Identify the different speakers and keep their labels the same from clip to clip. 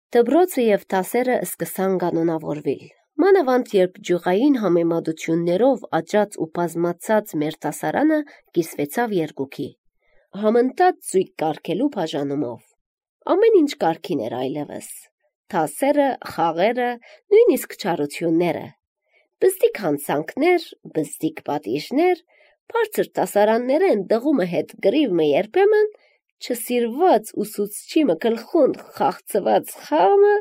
Speaker 1: Դբրոցը և դասերը սկսան կանոնավորվել։ Մանավանդ երբ ջյուղային համեմատություններով աճած ու բազմացած մեր դասարանը կիսվեցավ երկուքի, համընթաց զույգ կարգելու բաժանումով։ Ամեն ինչ կարգին էր այլևս, դասերը, խաղերը, նույնիսկ չարությունները, բզդիկ հանցանքներ, բզդիկ պատիժներ, բարձր դասարանները ընդդղումը հետ գրիվը երբեմն, չսիրված ուսուցչի գլխուն խաղցված խաղը,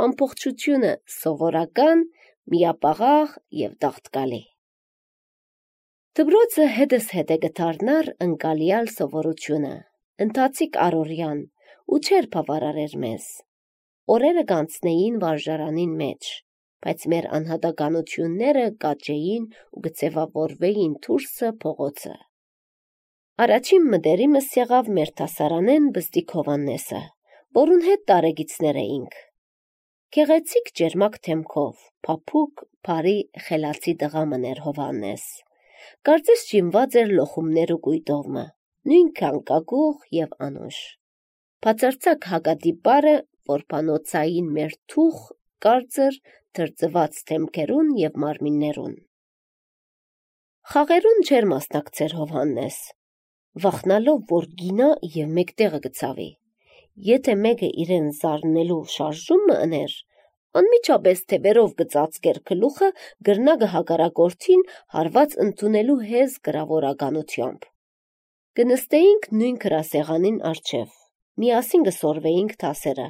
Speaker 1: ամբողջությունը սովորական, միապաղաղ և տաղտկալի։ Դբրոցը հետս հետը գտարնար ընկալյալ սովորությունը, ընթացիկ առօրյան ու չեր բավարարեր մեզ։ Օրերը կանցնեին վարժարանին մեջ, բայց մեր անհատականությունները կաճեին ու գծևավորվեին դուրսը փողոցը։ Առաջին մտերիմս եղավ մեր դասարանեն բզդիկ Հովհաննեսը, որուն հետ տարեգիցներ էինք։ Գեղեցիկ ջերմակ դեմքով, փափուկ, բարի, խելացի տղա մըն էր Հովհաննես։ Կարծես ջինված էր լոխումներ ու կույտովը, նույնքան կագուղ և անուշ։ Բացարձակ հակատիպարը որբանոցային մեր թուխ, կարծր, թրծված դեմքերուն և մարմիններուն։ Խաղերուն չէր մասնակցեր Հովհաննես, վախնալով, որ գինա և մեկտեղը գցավի։ Եթե մեկը իրեն զարնելու շարժումը ըներ, անմիջապես թևերով գծածկեր գլուխը գրնա գհակարակորդին հարված ընդունելու հեզ գրավորականությամբ։ Կնստեինք նույն գրասեղանին առջև, միասին կսորվեինք դասերը,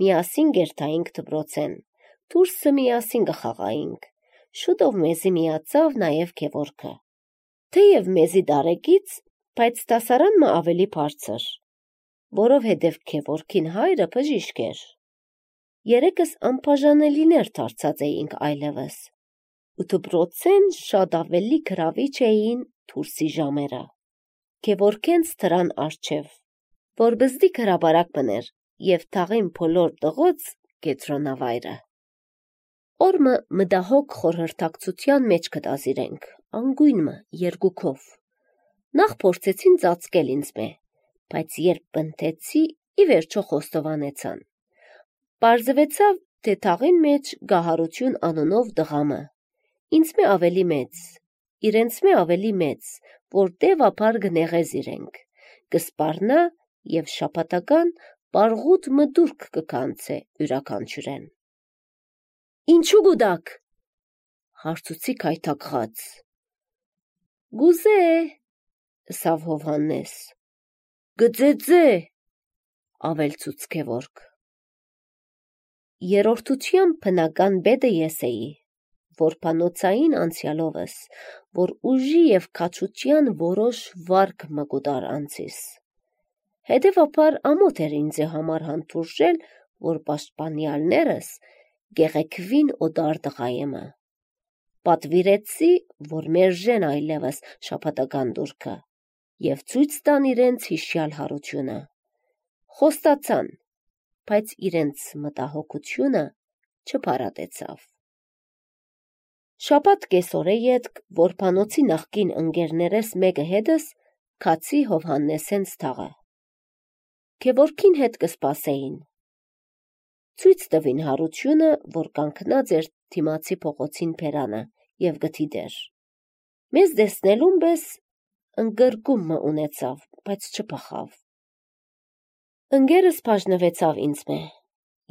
Speaker 1: միասին կերթայինք դպրոցեն, դուրսը միասին կխաղայինք, շուտով մեզի միացավ նաև Գևորգը։ Թեև մեզի տարեկից, բայց դասարանն ավելի բարձր, որովհետև Գևորգին հայրը բժիշկ էր։ Երեքս անբաժանելիներ դարձած էինք այլևս, ու դպրոցեն շատ ավելի գրավիչ էին դուրսի ժամերը։ Գևորգենց դրան առջև, որ բզդիկ հրապարակ մըներ և թաղին բոլոր տղոց կետրոնավայրը։ Օրմը մտահոգ խորհրդակցության մեջ կտազիրենք, անգույնմը երկուքով։ Նախ փորձեցին ծածկել ինձ, բայց երբ բնթեցի, ի վերջո խոստովանեցան։ Պարզվեցավ, թե թաղին մեջ Գահարություն անունով տղամը, ինձ ավելի մեծ, իրենց ավելի մեծ, որ տևապար կնեղез իրենք, կսպառնա և շաբաթական պարղուտ մդուրք կկանցե յուրաքանչյուրեն։ Ինչու գուտաք, հարցուցի քայթակղած։ Գուզե, ըսավ Հովհաննես։ Գծեծե, ավելցուց Գևորգ։ Երրորդության բնական պետը ես էի, որբանոցային անցյալովս, որ ուժի և քաջության որոշ վարք մկուտար անցիս։ Հետևաբար ամոթ էր ինձ համար հանդուրժել, որ պաշտպանյալներս գեղեցկվին օտար տղայեմը։ Պատվիրեցի, որ մերժեն այլևս շաբաթական տուրքը և ցույց տան իրենց հիշյալ հարությունը։ Խոստացան, բայց իրենց մտահոգությունը չփարատեցավ։ Շաբաթ կեսօրե ետք որբանոցի նախկին ընկերներես մեկը հետս քացի Հովհաննեսենց թաղը։ Գևորգին հետ կսպասեին։ Ցույց տվին հարությունը, որ կանգնած էր դիմացի փողոցին բերանը և գդիդեր։ Մեզ տեսնելուն պես ընկրկումը ունեցավ, բայց չփախավ։ Ընկերս բաժնվեցավ ինձ,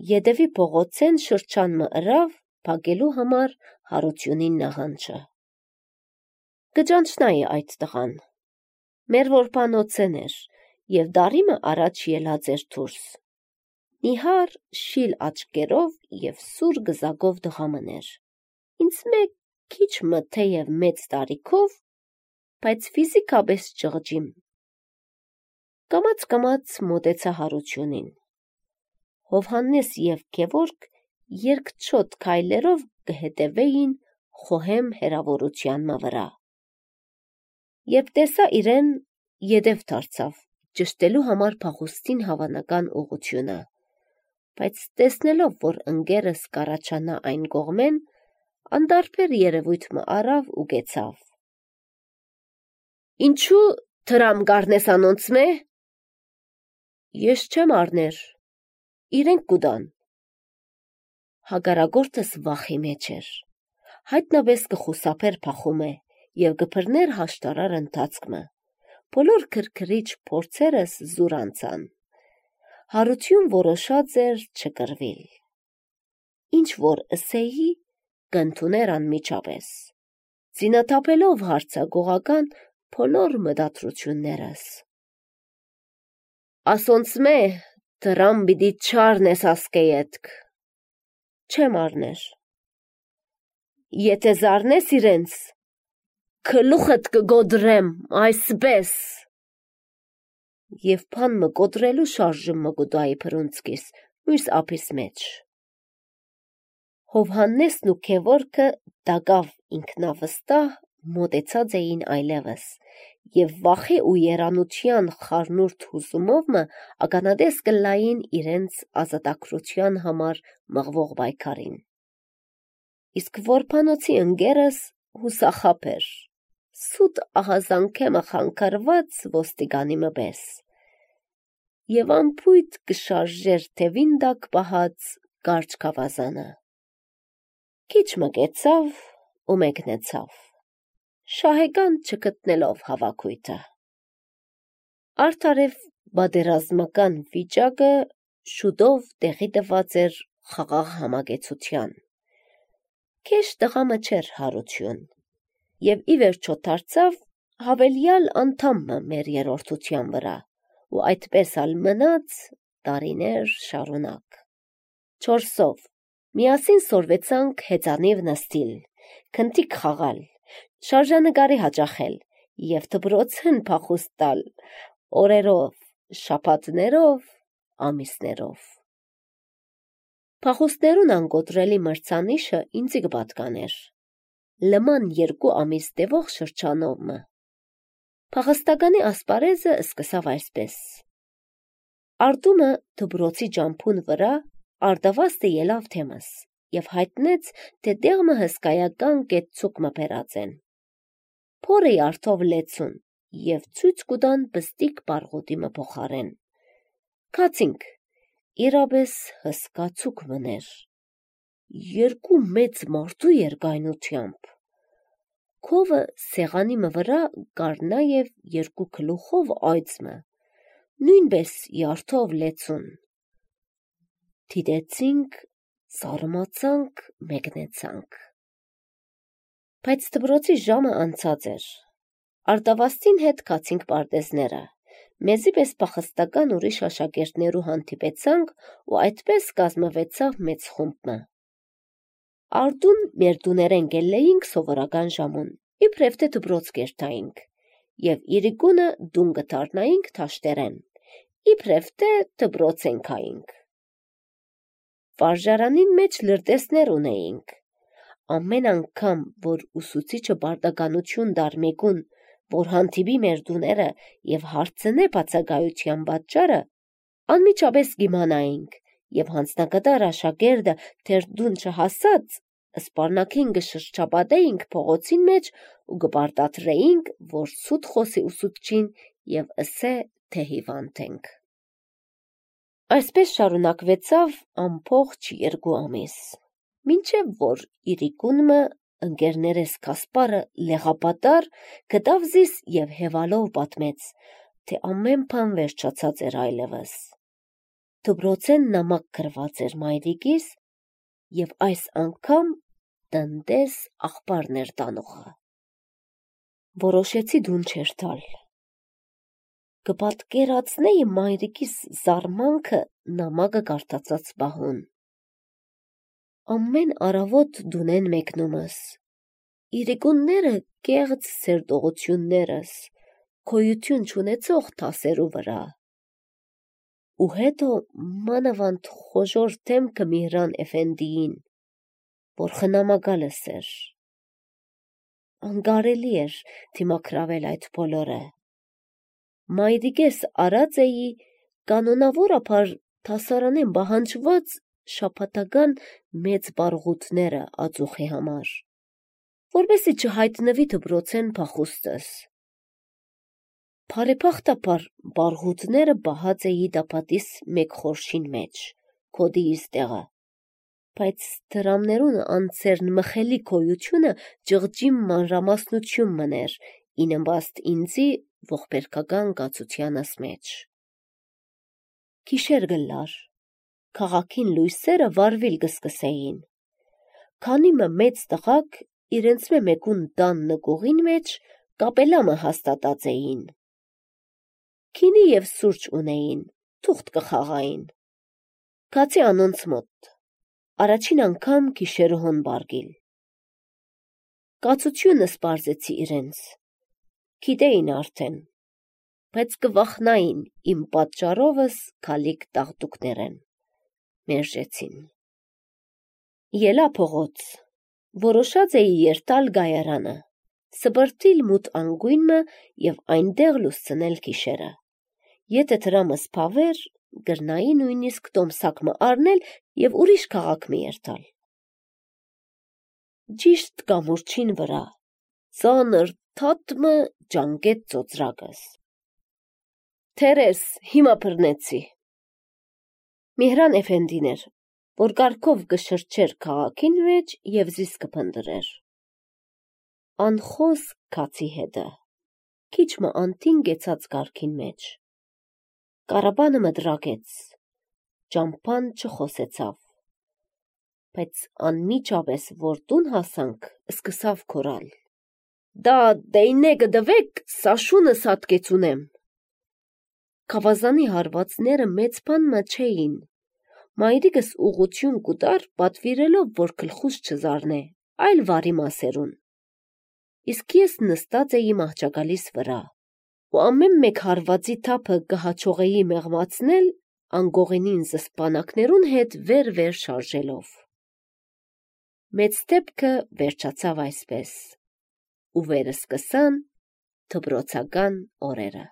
Speaker 1: ետևի փողոցեն շրջանմը ըրավ փակելու համար Հարությունին նահանջը։ Կճանչնայի այդ տղան։ Մեր որբանոցեն էր և դարիմը առաջ ելած էր դուրս։ Նիհար շիլ աչքերով և սուր գզակով տղա մըն էր։ Ինձ քիչ մը թեև մեծ տարիքով, բայց ֆիզիկապես ճղճիմ։ Կամաց մոտեցա Հարությունին։ Հովհաննես և Գևորգ երկչոտ քայլերով կհետևեին խոհեմ հեռավորությանմը վրա։ Երբ տեսա իրեն, ետև դարձավ, ճշտելու համար փախուստին հավանական ուղղությունը, բայց տեսնելով, որ ընկերս կառաջանա այն կողմեն, անդարբեր երևույթ մը առավ ու կեցավ։ Ինչու դրամ կառնես անոնց մե։ Ես չեմ առներ, իրենք կուտան, հագարագործս վախի մեջ էր, հայտնաբես կխուսափեր փախում է և գպրներ հաշտարար ընթացքմը, բոլոր քրքրիչ փորձերս զուր անցան, հարություն որոշած էր չկրվիլ, ինչ որ ըսեի կընդուներ անմիջապես, զինաթափելով հարցագողական բոլոր մտադրություններս։ Ասոնցմե դրամ բիդի չարնես ասկեյետք, չեմ արներ, եթե զարնես իրենց, քլուխդ կգոդրեմ այսպես, և պան մը գոդրելու շարժում մը գուդայի պրունցկիս, մույս ափիս մեջ։ Հովհաննեսն ու քևորքը դագավ ինքնավստահ մոտեցած էին այլևս, և վախի ու երանության խառնուրդ հուզումով մը ականադես կլային իրենց ազատագրության համար մղվող պայքարին։ Իսկ որբանոցի ընկերս հուսախաբ էր, սուտ ահազանգեմը խանգարված ոստիգանի մը պես, և անփույթ կշարժեր թևին տակ պահած կարճ գավազանը։ Քիչ մը կեցավ ու մեկնեցավ, շահեկան չգտնելով հավաքույթը։ Արդարև պատերազմական վիճակը շուտով տեղի տված էր խաղաղ համագեցության։ Քեշ տղամը չէր հարություն, և ի վերջո դարձավ հավելյալ անդամը մեր երրորդության վրա, ու այդպես ալ մնաց տարիներ շարունակ։ Չորսով միասին սորվեցանք հեծանիվ նստիլ, քնթիկ խաղալ, շարժանկարի հաճախել և դպրոցին փախուստ տալ օրերով, շաբաթներով, ամիսներով։ Փախուստներուն անգոտրելի մրցանիշը ինձի կպատկաներ, լման 2 ամիս տևող շրջանով մը։ Փախստականի ասպարեզը սկսավ այսպես. Արտումը դպրոցի ջամփուն վրա արդավաստը ելավ թեմս և հայտնեց, թե դեղմը հսկայական կետցուկ մը բերած են։ Փորի արդով լեցուն և ցույց կուտան պստիկ պարղուտի մը փոխարեն։ Քացինք, իրապես հսկա ցուկ մներ, 2 մեծ մարդու երկայնությամբ։ Քովը սեղանի մը վրա կար նաև 2 գլուխով այծմը, նույնպես իարդով լեցուն։ Դիտեցինք, զարմացանք, մեկնեցանք։ Բայց դպրոցի ժամը անցած էր, արդավաստին հետ քացինք պարտեզները, մեզի պես փախստական ուրիշ աշակերտներու հանդիպեցանք ու այդպես կազմվեցավ մեծ խումբը։ Արտուն մեր տուներեն գելեինք սովորական ժամուն, իբրև թե դպրոց կերտայինք, և իրիկունը դուն կդառնայինք դաշտերեն, իբրև թե դպրոցեն գայինք։ Վարժարանին մեջ լրտեսներ ունեինք։ Ամեն անգամ, որ ուսուցիչը պարտականություն տար մեկուն, որ հանդիպի մեր տուները և հարցնե բացակայության պատճառը, անմիջապես կիմանայինք և հանձնակատար աշակերտը դեռ տուն չհասած, սպառնաքին կշրջապատեինք փողոցին մեջ ու կպարտադրեինք, որ սուտ խոսի ուսուցչին և ըսե, թե հիվանդ ենք։ Այսպես շարունակվեցավ ամբողջ 2 ամիս, մինչև որ իրիկունը ընկերներես Կասպարը լեղապատար գտավ զիս և հևալով պատմեց, թե ամեն բան վերջացած էր այլևս։ Դպրոցեն նամակ գրված էր մայրիկիս և այս անգամ տնտես աղբարն էր տանողը։ Որոշեցի դուն չեր տալ։ Կպատկերացնեի մայրիկիս զարմանքը նամակը կարդացած պահուն։ Ամեն առավոտ դունեն մեկնումս, իրիկունները կեղծ սերտողություններս, գոյություն չունեցող դասերու վրա, ու հետո մանավանդ խոժոռ դեմքը Միհրան էֆենդիին, որ խնամակալս էր։ Անկարելի էր դիմակրավել այդ բոլորը։ Մայրիկես արած էի կանոնավորաբար դասարանեն պահանջված շաբաթական մեծ պարղութները ածուխի համար, որպեսզի չհայտնվի դպրոցեն փախուստս։ Բարեբախտաբար պարղութները պահած էի տապատիս մեկ խորշին մեջ, քոդիիս տեղը, բայց դրամներուն անցերն մխելի կոյությունը ջղջիմ մանրամասնություն մներ, ինըմբաստ ինձի ողբերգական գացությանս մեջ։ Գիշեր գլար, քաղաքին լույսերը վարվել գսկսեին, քանի մեծ տղակ իրենց մեկուն դան նկողին մեջ կապելամը հաստատած էին։ Քինի և սուրճ ունեին, թուղթ կխաղային։ Կացի անոնց մոտ, առաջին անգամ գիշերոհոն բարգիլ։ Կացությունը սպարզեցի իրենց, գիտեին արդեն, բայց կվախնային իմ պատճառովս քալիք տաղտուկներեն, մերժեցին։ Ելա փողոց, որոշած էի երտալ գայարանը, սբրտիլ մութ անգույնը և այնտեղ լուսցնել գիշերը։ Եթե դրամս փավեր, գրնայի նույնիսկ տոմսակը առնել և ուրիշ քաղաք մի երթալ։ Ճիշտ կամուրջին վրա, ծանր թաթմը ջանգեց ծոծրակս։ Թերես, հիմա բռնեցի։ Միհրան էֆենդին էր, որ կարգով կշրջեր քաղաքին մեջ և զիս կփնդրեր։ Անխոս կացի հետը, քիչմը անտին գեցած կարգին մեջ։ Կարաբանը մդրակեց, ճամփան չխոսեցավ, բայց անմիջապես որ տուն հասանք, սկսավ քորալ։ Դա դեյնե գդվեք, սա շունը սատկեցունեմ։ Քավազանի հարվածները մեծ բանմը չէին։ Մայրիկս ուղղություն կուտար, պատվիրելով, որ գլխուս չզարնե, այլ վարի մասերուն։ Իսկ ես նստած էի մահճակալիս վրա, ու ամեն մեկ հարվածի թափը կհաջողեի մեղմացնել անգողենին զսպանակներուն հետ վեր շարժելով։ Մեծ դեպքը վերջացավ այսպես, ու վերսկսան դպրոցական օրերը։